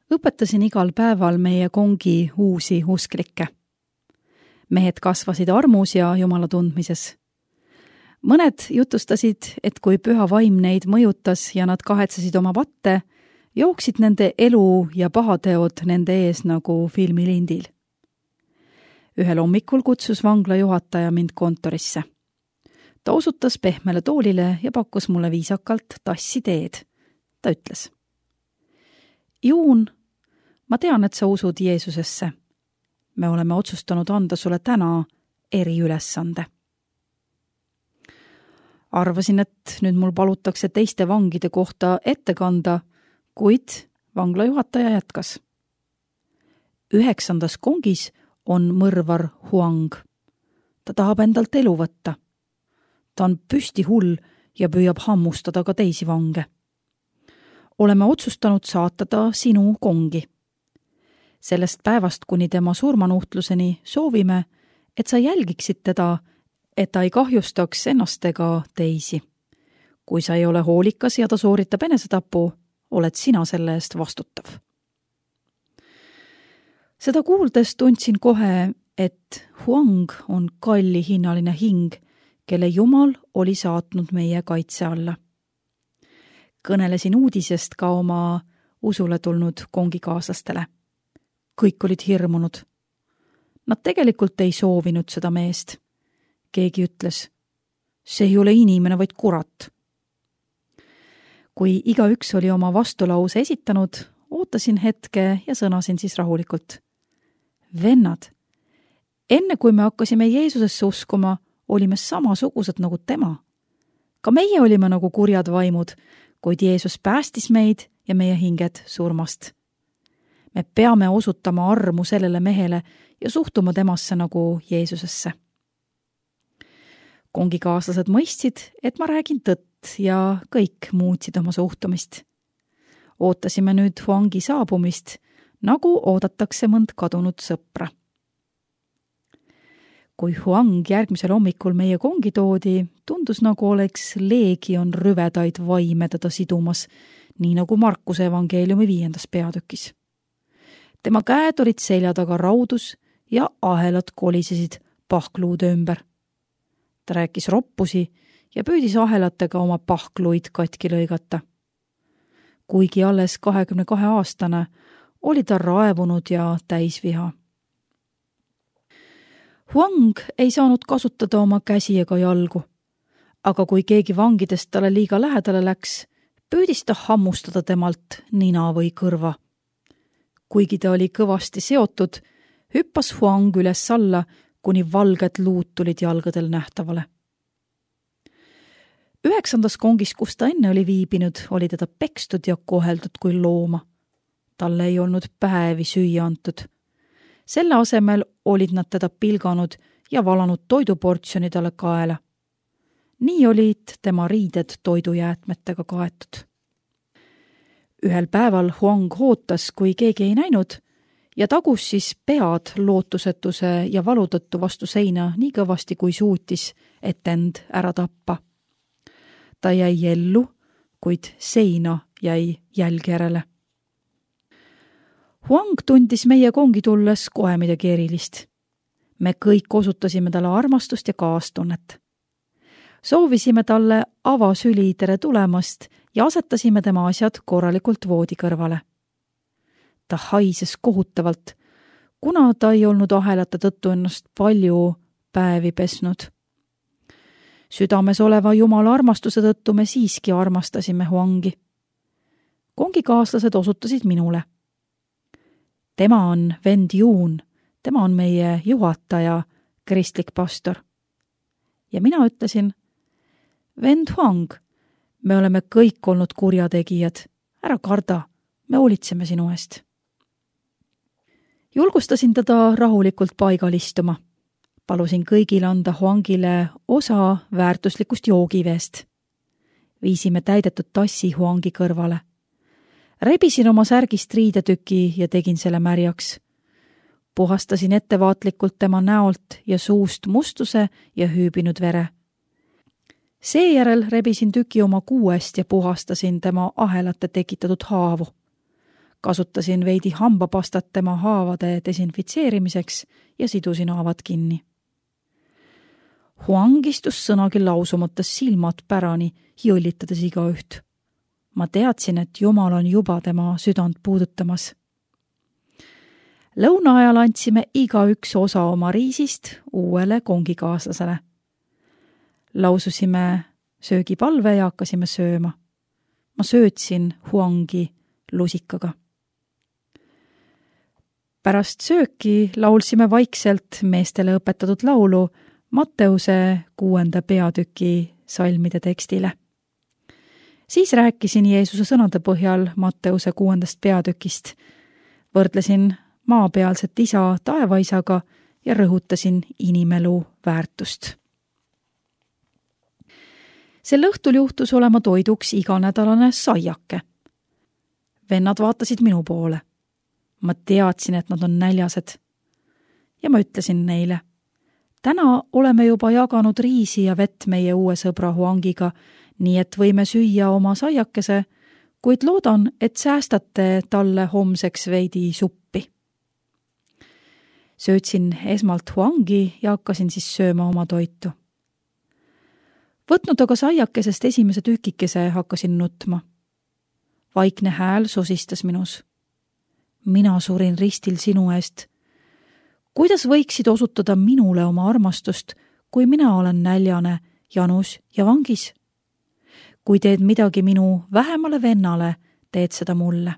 Õpetasin igal päeval meie kongi uusi usklikke. Mehed kasvasid armus ja Jumala tundmises. Mõned jutustasid, et kui püha vaim neid mõjutas ja nad kahetsesid oma patte, jooksid nende elu ja pahateod nende ees nagu filmilindil. Ühel hommikul kutsus vangla juhataja mind kontorisse. Ta osutas pehmele toolile ja pakkus mulle viisakalt tassi teed. Ta ütles: Juun, ma tean, et sa usud Jeesusesse. Me oleme otsustanud anda sulle täna eriülesande. Arvasin, et nüüd mul palutakse teiste vangide kohta ette kanda, kuid vangla juhataja jätkas. 9. kongis on mõrvar Huang. Ta tahab endalt elu võtta. Ta on püsti hull ja püüab hammustada ka teisi vange. Oleme otsustanud saata ta sinu kongi. Sellest päevast kuni tema surmanuhtluseni soovime, et sa jälgiksid teda, et ta ei kahjustaks ennast ega teisi. Kui sa ei ole hoolikas ja ta sooritab enesetapu, oled sina selle eest vastutav. Seda kuuldes tundsin kohe, et Huang on kallihinnaline hing, kelle Jumal oli saatnud meie kaitse alla. Kõnelesin uudisest ka oma usule tulnud kongikaaslastele. Kõik olid hirmunud. Nad tegelikult ei soovinud seda meest. Keegi ütles: see ei ole inimene, vaid kurat. Kui igaüks oli oma vastulause esitanud, ootasin hetke ja sõnasin siis rahulikult: vennad, enne kui me hakkasime Jeesusesse uskuma, olime samasugused nagu tema. Ka meie olime nagu kurjad vaimud, kuid Jeesus päästis meid ja meie hinged surmast. Me peame osutama armu sellele mehele ja suhtuma temasse nagu Jeesusesse. Kongikaaslased mõistsid, et ma räägin tõtt ja kõik muutsid oma suhtumist. Ootasime nüüd Huangi saabumist, nagu oodatakse mõnd kadunud sõpra. Kui Huang järgmisel hommikul meie kongi toodi, tundus nagu oleks leegion rüvedaid vaime teda sidumas, nii nagu Markuse evangeeliumi 5. peatükis. Tema käed olid selja taga raudus ja ahelad kolisesid pahkluude ümber. Ta rääkis roppusi ja püüdis ahelatega oma pahkluid katki lõigata. Kuigi alles 22-aastane, oli ta raevunud ja täisviha. Huang ei saanud kasutada oma käsi ega jalgu, aga kui keegi vangidest talle liiga lähedale läks, püüdis ta hammustada temalt nina või kõrva. Kuigi ta oli kõvasti seotud, hüppas Huang üles alla, kuni valged luud tulid jalgadel nähtavale. 9. kongis, kus ta enne oli viibinud, oli teda pekstud ja koheldud kui looma. Talle ei olnud päevi süüa antud. Selle asemel olid nad teda pilganud ja valanud toiduportsjoni talle kaela. Nii olid tema riided toidujäätmetega kaetud. Ühel päeval Huang ootas, kui keegi ei näinud, ja tagus siis pead lootusetuse ja valu tõttu vastu seina nii kõvasti, kui suutis, et end ära tappa. Ta jäi ellu, kuid seina jäi jälg järele. Huang tundis meie kongi tulles kohe midagi erilist. Me kõik osutasime talle armastust ja kaastunnet. Soovisime talle avasüli tere tulemast ja asetasime tema asjad korralikult voodi kõrvale. Ta haises kohutavalt, kuna ta ei olnud ahelate tõttu ennast palju päevi pesnud. Südames oleva Jumala armastuse tõttu me siiski armastasime Huangi. Kongikaaslased osutasid minule. Tema on vend Juun, tema on meie juhataja, kristlik pastor. Ja mina ütlesin: vend Huang, me oleme kõik olnud kurjategijad, ära karda, me hoolitseme sinu eest. Julgustasin teda rahulikult paigal istuma. Palusin kõigil anda Huangile osa väärtuslikust joogiveest. Viisime täidetud tassi Huangi kõrvale. Rebisin oma särgist riidetüki ja tegin selle märjaks. Puhastasin ettevaatlikult tema näolt ja suust mustuse ja hüübinud vere. Seejärel rebisin tüki oma kuuest ja puhastasin tema ahelate tekitatud haavu. Kasutasin veidi hambapastat tema haavade desinfitseerimiseks ja sidusin haavad kinni. Huang istus sõnagi lausumates silmad pärani, jõllitades igaüht. Ma teadsin, et Jumal on juba tema südant puudutamas. Lõuna ajal andsime igaüks osa oma riisist uuele kongikaaslasele. Laususime söögipalve ja hakkasime sööma. Ma söötsin Huangi lusikaga. Pärast sööki laulsime vaikselt meestele õpetatud laulu Matteuse 6. peatüki salmide tekstile. Siis rääkisin Jeesuse sõnade põhjal Matteuse 6. peatükist, võrdlesin maapealset isa taevaisaga ja rõhutasin inimelu väärtust. Sel õhtul juhtus olema toiduks iganädalane saiake. Vennad vaatasid minu poole. Ma teadsin, et nad on näljased. Ja ma ütlesin neile, täna oleme juba jaganud riisi ja vett meie uue sõbra Huangiga, nii et võime süüa oma saiakese, kuid loodan, et säästate talle homseks veidi suppi. Söötsin esmalt Huangi ja hakkasin siis sööma oma toitu. Võtnud aga saiakesest esimese tükikese, hakkasin nutma. Vaikne hääl sosistas minus. Mina surin ristil sinu eest. Kuidas võiksid osutada minule oma armastust, kui mina olen näljane, janus ja vangis? Kui teed midagi minu vähemale vennale, teed seda mulle.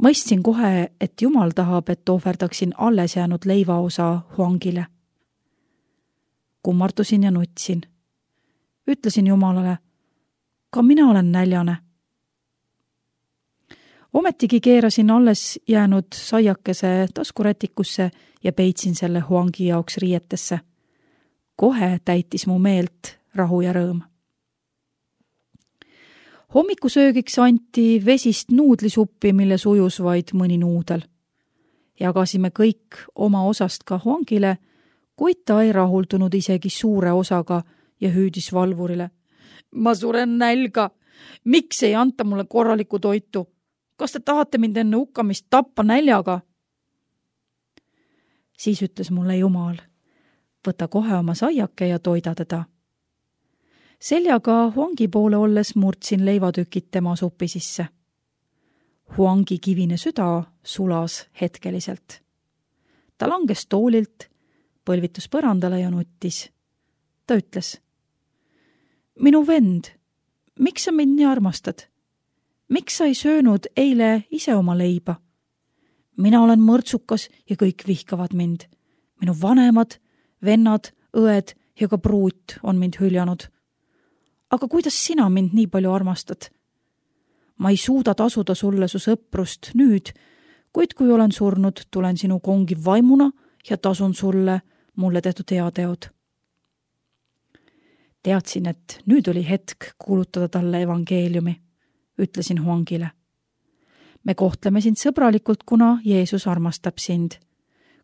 Mõistsin kohe, et Jumal tahab, et ohverdaksin alles jäänud leivaosa Huangile. Kummardusin ja nutsin. Ütlesin Jumalale, ka mina olen näljane. Ometigi keerasin alles jäänud saiakese taskurätikusse ja peitsin selle Huangi jaoks riietesse. Kohe täitis mu meelt rahu ja rõõm. Hommikusöögiks anti vesist nuudlisuppi, mille sujus vaid mõni nuudel. Jagasime kõik oma osast ka Huangile, kuid ta ei rahuldunud isegi suure osaga ja hüüdis valvurile. Ma suren nälga. Miks ei anta mulle korralikku toitu? Kas te tahate mind enne hukkamist tappa näljaga? Siis ütles mulle Jumal, võta kohe oma saiake ja toida teda. Seljaga Huangi poole olles murdsin leivatükid tema supi sisse. Huangi kivine süda sulas hetkeliselt. Ta langes toolilt, põlvitus põrandale ja nuttis. Ta ütles, minu vend, miks sa mind nii armastad? Miks sa ei söönud eile ise oma leiba? Mina olen mõrtsukas ja kõik vihkavad mind. Minu vanemad, vennad, õed ja ka pruut on mind hüljanud. Aga kuidas sina mind nii palju armastad? Ma ei suuda tasuda sulle su sõprust nüüd, kuid kui olen surnud, tulen sinu kongi vaimuna ja tasun sulle mulle tehtud heateod. Teadsin, et nüüd oli hetk kuulutada talle evangeeliumi, ütlesin Huangile. Me kohtleme sind sõbralikult, kuna Jeesus armastab sind.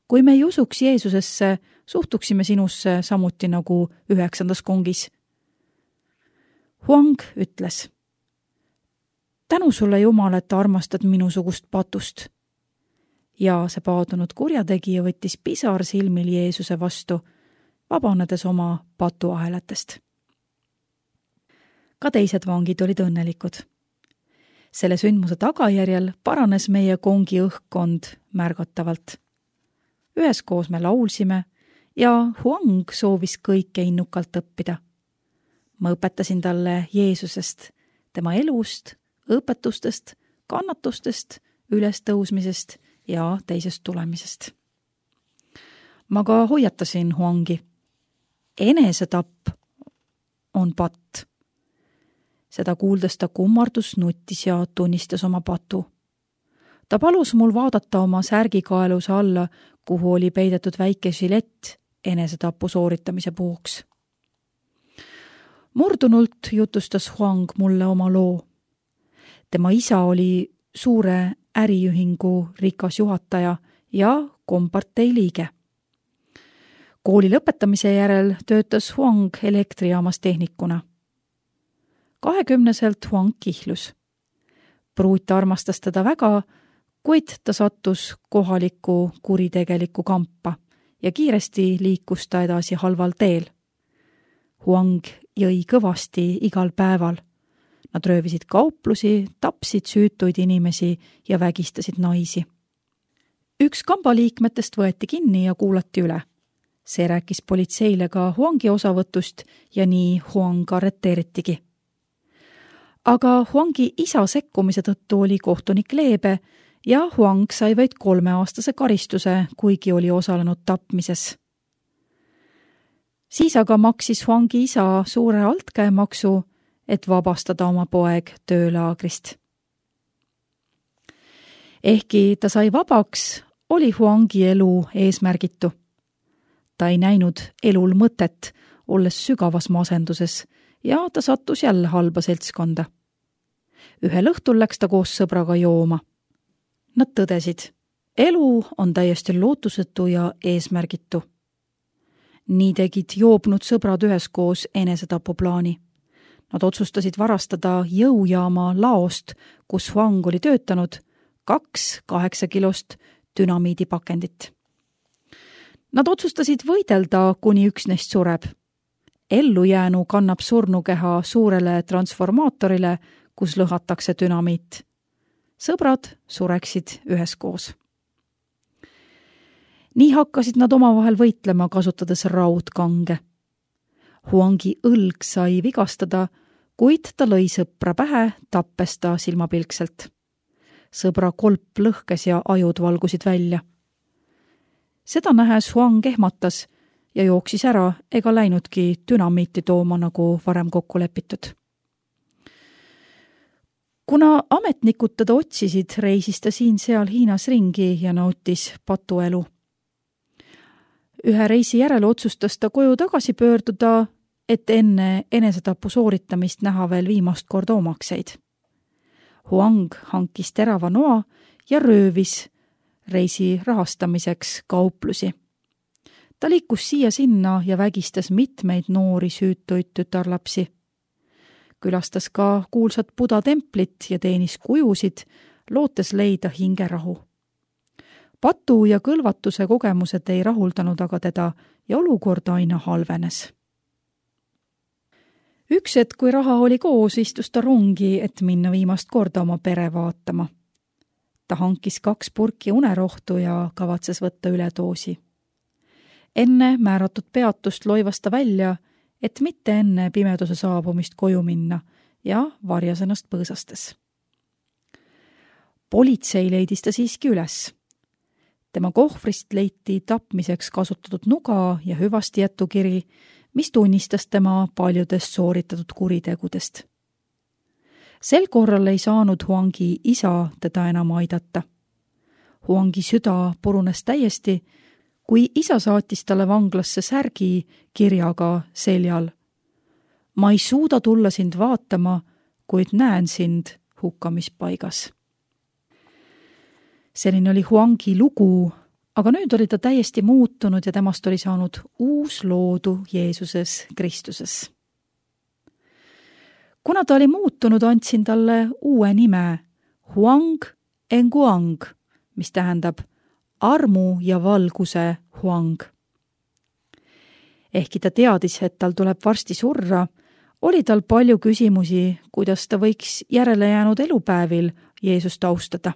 Kui me ei usuks Jeesusesse, suhtuksime sinusse samuti nagu 9. kongis. Huang ütles, tänu sulle Jumal, et armastad minusugust patust. Ja see paadunud kurjategija võttis pisar silmil Jeesuse vastu, vabanedes oma patuahelatest. Ka teised vangid olid õnnelikud. Selle sündmuse tagajärjel paranes meie kongi õhkkond märgatavalt. Üheskoos me laulsime ja Huang soovis kõike innukalt õppida. Ma õpetasin talle Jeesusest, tema elust, õpetustest, kannatustest, ülestõusmisest ja teisest tulemisest. Ma ka hoiatasin Huangi. Enesetapp on patt. Seda kuuldes ta kummardus, nuttis ja tunnistas oma patu. Ta palus mul vaadata oma särgikaeluse alla, kuhu oli peidetud väike žilett enesetapu sooritamise puhuks. Murdunult jutustas Huang mulle oma loo. Tema isa oli suure äriühingu rikas juhataja ja kompartei liige. Kooli lõpetamise järel töötas Huang elektrijaamas tehnikuna. 20-selt Huang kihlus. pruut armastas teda väga, kuid ta sattus kohalikku kuritegelikku kampa ja kiiresti liikus ta edasi halval teel. Huang jõi kõvasti igal päeval. Nad röövisid kauplusi, tapsid süütuid inimesi ja vägistasid naisi. Üks kambaliikmetest võeti kinni ja kuulati üle. See rääkis politseile ka Huangi osavõtust ja nii Huang arreteeritigi. Aga Huangi isa sekkumise tõttu oli kohtunik leebe ja Huang sai vaid 3-aastase karistuse, kuigi oli osalenud tapmises. Siis aga maksis Huangi isa suure altkäemaksu, et vabastada oma poeg töölaagrist. Ehkki ta sai vabaks, oli Huangi elu eesmärgitu. Ta ei näinud elul mõtet, olles sügavas masenduses ja ta sattus jälle halba seltskonda. Ühel õhtul läks ta koos sõbraga jooma. Nad tõdesid, elu on täiesti lootusetu ja eesmärgitu. Nii tegid joobnud sõbrad üheskoos enesetapuplaani. Nad otsustasid varastada jõujaama laost, kus Huang oli töötanud, 2 8-kilost dünamiidipakendit. Nad otsustasid võidelda, kuni üks neist sureb. Ellujäänu kannab surnukeha suurele transformaatorile, kus lõhatakse dünamiit. Sõbrad sureksid üheskoos. Nii hakkasid nad omavahel võitlema, kasutades raudkange. Huangi õlg sai vigastada, kuid ta lõi sõpra pähe, tappes ta silmapilkselt. Sõbra kolp lõhkes ja ajud valgusid välja. Seda nähes Huang ehmatas ja jooksis ära ega läinudki dünamiiti tooma, nagu varem kokku lepitud. Kuna ametnikud teda otsisid, reisis ta siin-seal Hiinas ringi ja nautis patuelu. Ühe reisi järel otsustas ta koju tagasi pöörduda, et enne enesetapu sooritamist näha veel viimast korda omakseid. Huang hankis terava noa ja röövis reisi rahastamiseks kauplusi. Ta liikus siia-sinna ja vägistas mitmeid noori süütuid tütarlapsi. Külastas ka kuulsat Buda templit ja teenis kujusid, lootes leida hingerahu. Patu ja kõlvatuse kogemused ei rahuldanud aga teda ja olukord aina halvenes. Üks hetk, kui raha oli koos, istus ta rongi, et minna viimast korda oma pere vaatama. Ta hankis 2 purki unerohtu ja kavatses võtta üledoosi. Enne määratud peatust loivas ta välja, et mitte enne pimeduse saabumist koju minna ja varjas ennast põõsastes. Politsei leidis ta siiski üles. Tema kohvrist leiti tapmiseks kasutatud nuga ja hüvasti jätukiri, mis tunnistas tema paljudest sooritatud kuritegudest. Sel korral ei saanud Huangi isa teda enam aidata. Huangi süda purunes täiesti, kui isa saatis talle vanglasse särgi kirjaga seljal. Ma ei suuda tulla sind vaatama, kuid näen sind hukkamispaigas. Selline oli Huangi lugu, aga nüüd oli ta täiesti muutunud ja temast oli saanud uus loodu Jeesuses Kristuses. Kuna ta oli muutunud, andsin talle uue nime Huang Enguang, mis tähendab armu ja valguse Huang. Ehkki ta teadis, et tal tuleb varsti surra, oli tal palju küsimusi, kuidas ta võiks järele jäänud elupäevil Jeesust austada.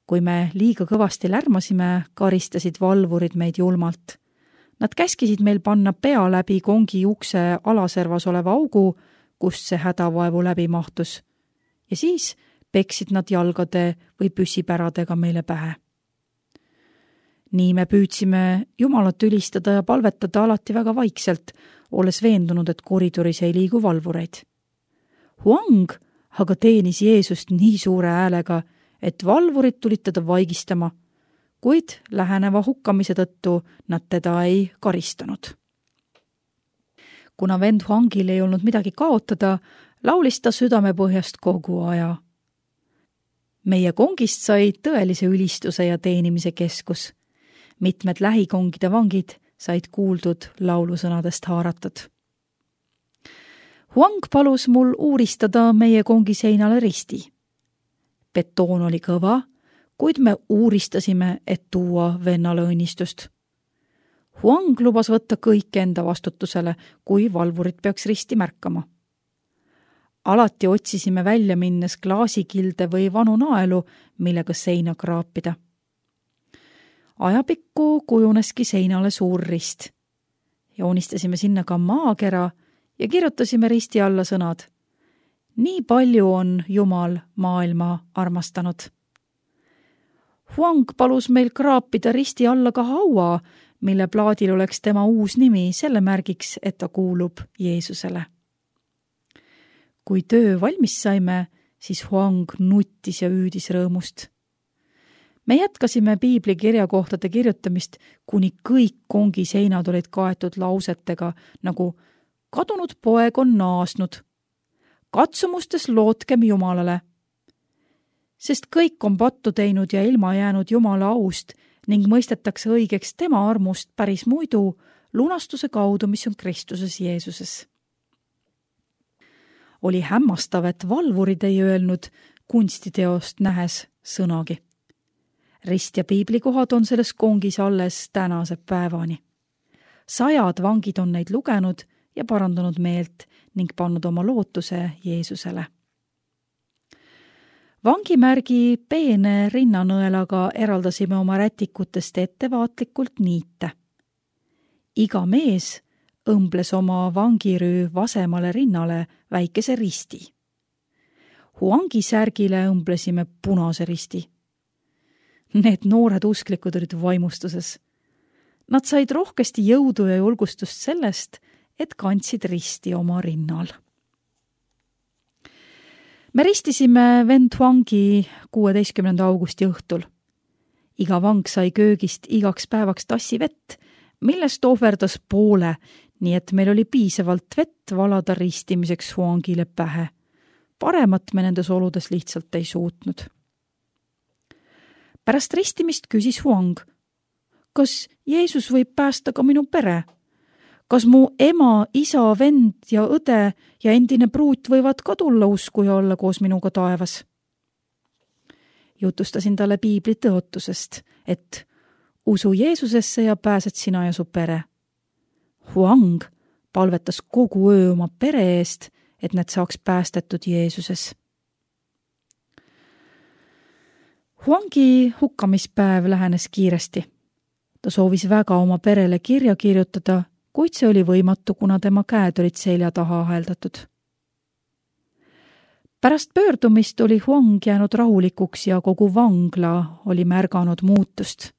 Kui me liiga kõvasti lärmasime, karistasid valvurid meid julmalt. Nad käskisid meil panna pea läbi kongi ukse alaservas oleva augu, kust see hädavaevu läbi mahtus. Ja siis peksid nad jalgade või püssipäradega meile pähe. Nii me püüdsime Jumalat ülistada ja palvetada alati väga vaikselt, olles veendunud, et koridoris ei liigu valvureid. Huang aga teenis Jeesust nii suure häälega, et valvurid tulid teda vaigistama, kuid läheneva hukkamise tõttu nad teda ei karistanud. Kuna vend Huangil ei olnud midagi kaotada, laulis ta südamepõhjast kogu aja. Meie kongist sai tõelise ülistuse ja teenimise keskus. Mitmed lähikongide vangid said kuuldud laulusõnadest haaratud. Huang palus mul uuristada meie kongi seinale risti. Betoon oli kõva, kuid me uuristasime, et tuua vennale õnnistust. Huang lubas võtta kõik enda vastutusele, kui valvurid peaks risti märkama. Alati otsisime välja minnes klaasikilde või vanu naelu, millega seina kraapida. Ajapikku kujuneski seinale suur rist. Joonistasime sinna ka maakera ja kirjutasime risti alla sõnad. Nii palju on Jumal maailma armastanud. Huang palus meil kraapida risti alla ka haua, mille plaadil oleks tema uus nimi selle märgiks, et ta kuulub Jeesusele. Kui töö valmis saime, siis Huang nuttis ja hüüdis rõõmust. Me jätkasime piibli kirjakohtade kirjutamist, kuni kõik kongi seinad olid kaetud lausetega, nagu kadunud poeg on naasnud. Katsumustes lootkem Jumalale. Sest kõik on pattu teinud ja ilma jäänud Jumala aust ning mõistetakse õigeks tema armust päris muidu lunastuse kaudu, mis on Kristuses Jeesuses. Oli hämmastav, et valvurid ei öelnud kunstiteost nähes sõnagi. Rist ja piiblikohad on selles kongis alles tänase päevani. 100 vangid on neid lugenud ja parandanud meelt ning pannud oma lootuse Jeesusele. Vangimärgi peene rinnanõelaga eraldasime oma rätikutest ettevaatlikult niite. Iga mees õmbles oma vangirüü vasemale rinnale väikese risti. Huangi särgile õmblesime punase risti. Need noored usklikud olid vaimustuses. Nad said rohkesti jõudu ja julgustust sellest, et kandsid risti oma rinnal. Me ristisime vend Huangi 16. augusti õhtul. Iga vang sai köögist igaks päevaks tassi vett, millest ohverdas poole, nii et meil oli piisavalt vett valada ristimiseks Huangile pähe. Paremat me nendes oludes lihtsalt ei suutnud. Pärast ristimist küsis Huang, kas Jeesus võib päästa ka minu pere? Kas mu ema, isa, vend ja õde ja endine pruut võivad ka tulla usku ja olla koos minuga taevas? Jutustasin talle piibli tõotusest, et usu Jeesusesse ja pääsed sina ja su pere. Huang palvetas kogu öö oma pere eest, et need saaks päästetud Jeesuses. Huangi hukkamispäev lähenes kiiresti. Ta soovis väga oma perele kirja kirjutada, kuid see oli võimatu, kuna tema käed olid selja taha aheldatud. Pärast pöördumist oli Huang jäänud rahulikuks ja kogu vangla oli märganud muutust.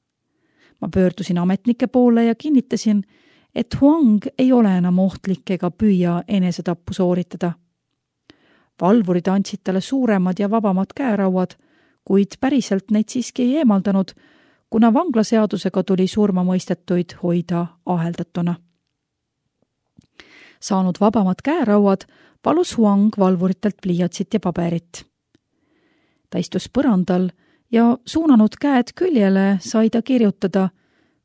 Ma pöördusin ametnike poole ja kinnitasin, et Huang ei ole enam ohtlik ega püüa enesetappu sooritada. Valvurid andsid talle suuremad ja vabamad käerauad, kuid päriselt neid siiski ei eemaldanud, kuna vanglaseadusega tuli surmamõistetuid hoida aheldatuna. Saanud vabamad käerauad, palus Huang valvuritelt pliiatsit ja paberit. Ta istus põrandal ja suunanud käed küljele sai ta kirjutada,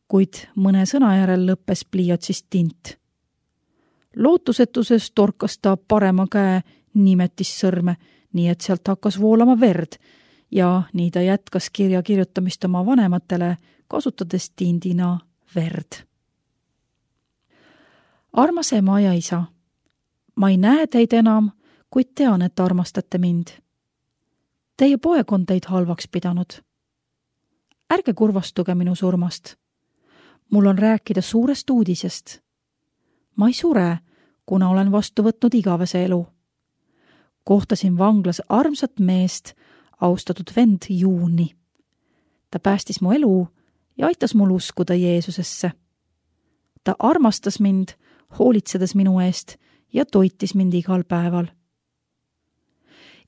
kuid mõne sõna järel lõppes pliiatsist tint. Lootusetuses torkas ta parema käe nimetissõrme, nii et sealt hakkas voolama verd ja nii ta jätkas kirja kirjutamist oma vanematele, kasutades tindina verd. Armas ema ja isa, ma ei näe teid enam, kuid tean, et armastate mind. Teie poeg on teid halvaks pidanud. Ärge kurvastuge minu surmast. Mul on rääkida suurest uudisest. Ma ei sure, kuna olen vastu võtnud igavese elu. Kohtasin vanglas armsat meest, austatud vend Juuni. Ta päästis mu elu ja aitas mul uskuda Jeesusesse. Ta armastas mind, hoolitsedes minu eest ja toitis mind igal päeval.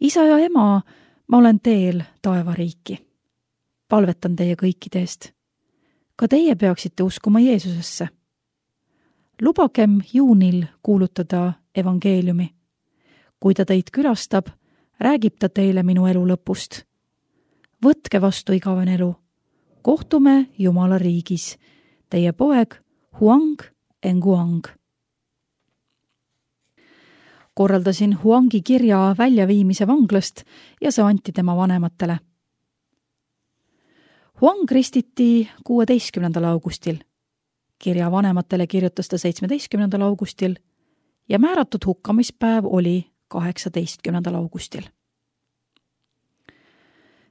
Isa ja ema, ma olen teel taevariiki. Palvetan teie kõikide eest. Ka teie peaksite uskuma Jeesusesse. Lubagem Juunil kuulutada evangeeliumi. Kui ta teid külastab, räägib ta teile minu elu lõpust. Võtke vastu igavene elu. Kohtume Jumala riigis. Teie poeg Huang Enguang. korraldasin Huangi kirja väljaviimise vanglast ja see anti tema vanematele. Huang ristiti 16. augustil. Kirja vanematele kirjutas ta 17. augustil ja määratud hukkamispäev oli 18. augustil.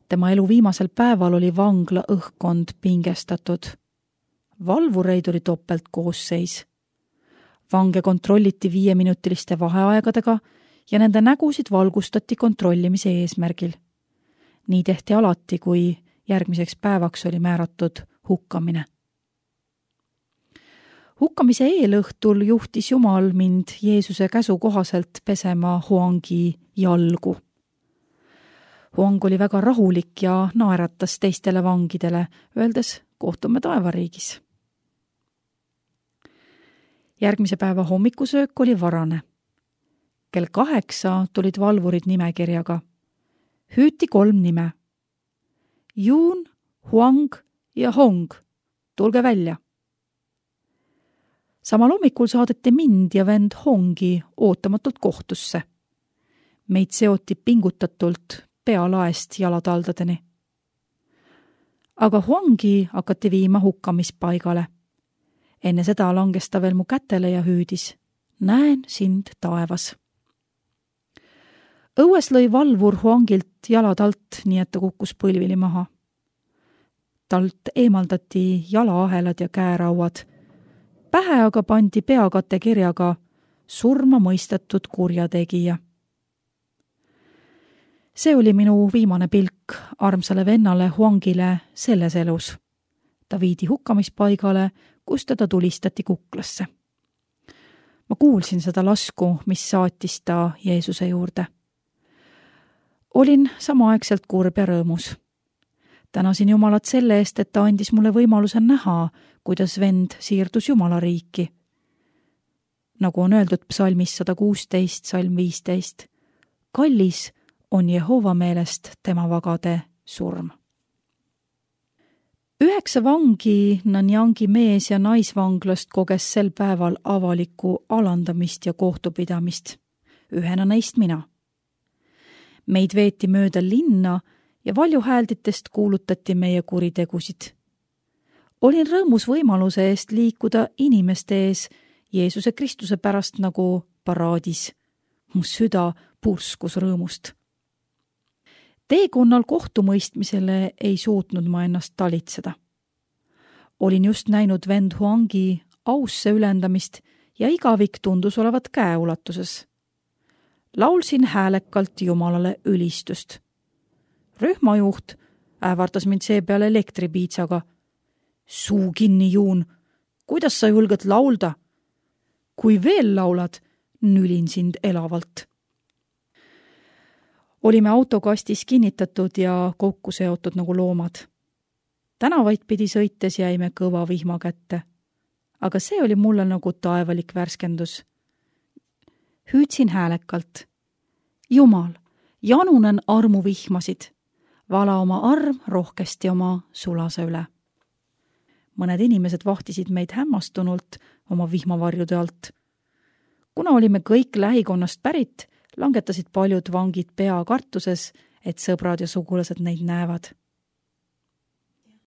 Tema elu viimasel päeval oli vangla õhkkond pingestatud. Valvureid oli topeltkoosseis. Vange kontrolliti 5-minutiliste vaheaegadega ja nende nägusid valgustati kontrollimise eesmärgil. Nii tehti alati, kui järgmiseks päevaks oli määratud hukkamine. Hukkamise eelõhtul juhtis Jumal mind Jeesuse käsu kohaselt pesema Huangi jalgu. Huang oli väga rahulik ja naeratas teistele vangidele, öeldes kohtume taevariigis. Järgmise päeva hommikusöök oli varane. Kell 8 tulid valvurid nimekirjaga. Hüüti 3 nime. Yun, Huang ja Hong. Tulge välja. Samal hommikul saadeti mind ja vend Hongi ootamatult kohtusse. Meid seoti pingutatult pealaest jalataldadeni. Aga Huangi hakati viima hukkamispaigale. Enne seda langes ta veel mu kätele ja hüüdis. Näen sind taevas. Õues lõi valvur Huangilt jalad alt, nii et ta kukkus põlvili maha. Talt eemaldati jalaahelad ja käerauad. Pähe aga pandi peakate kirjaga surma mõistetud kurjategija. See oli minu viimane pilk armsale vennale Huangile selles elus. Ta viidi hukkamispaigale, kus teda tulistati kuklasse. Ma kuulsin seda lasku, mis saatis ta Jeesuse juurde. Olin samaaegselt kurb ja rõõmus. Tänasin Jumalat selle eest, et ta andis mulle võimaluse näha, kuidas vend siirdus Jumala riiki. Nagu on öeldud psalmis 116, salm 15. Kallis on Jehova meelest tema vagade surm. 9 vangi Nanyangi mees- ja naisvanglast koges sel päeval avalikku alandamist ja kohtupidamist. Ühena neist mina. Meid veeti mööda linna ja valjuhäälditest kuulutati meie kuritegusid. Olin rõõmus võimaluse eest liikuda inimeste ees Jeesuse Kristuse pärast nagu paraadis. Mu süda purskus rõõmust. Teekonnal kohtumõistmisele ei suutnud ma ennast talitseda. Olin just näinud vend Huangi ausse ülendamist ja igavik tundus olevat käeulatuses. Laulsin häälekalt Jumalale ülistust. Rühmajuht ähvardas mind seepeale elektripiitsaga. Suu kinni, Juun, kuidas sa julged laulda? Kui veel laulad, nülin sind elavalt. Olime autokastis kinnitatud ja kokku seotud nagu loomad. Tänavaid pidi sõites jäime kõva vihma kätte. Aga see oli mulle nagu taevalik värskendus. Hüüdsin häälekalt. Jumal, janunen armuvihmasid. Vala oma arm rohkesti oma sulase üle. Mõned inimesed vahtisid meid hämmastunult oma vihmavarjude alt. Kuna olime kõik lähikonnast pärit, langetasid paljud vangid pea kartuses, et sõbrad ja sugulased neid näevad.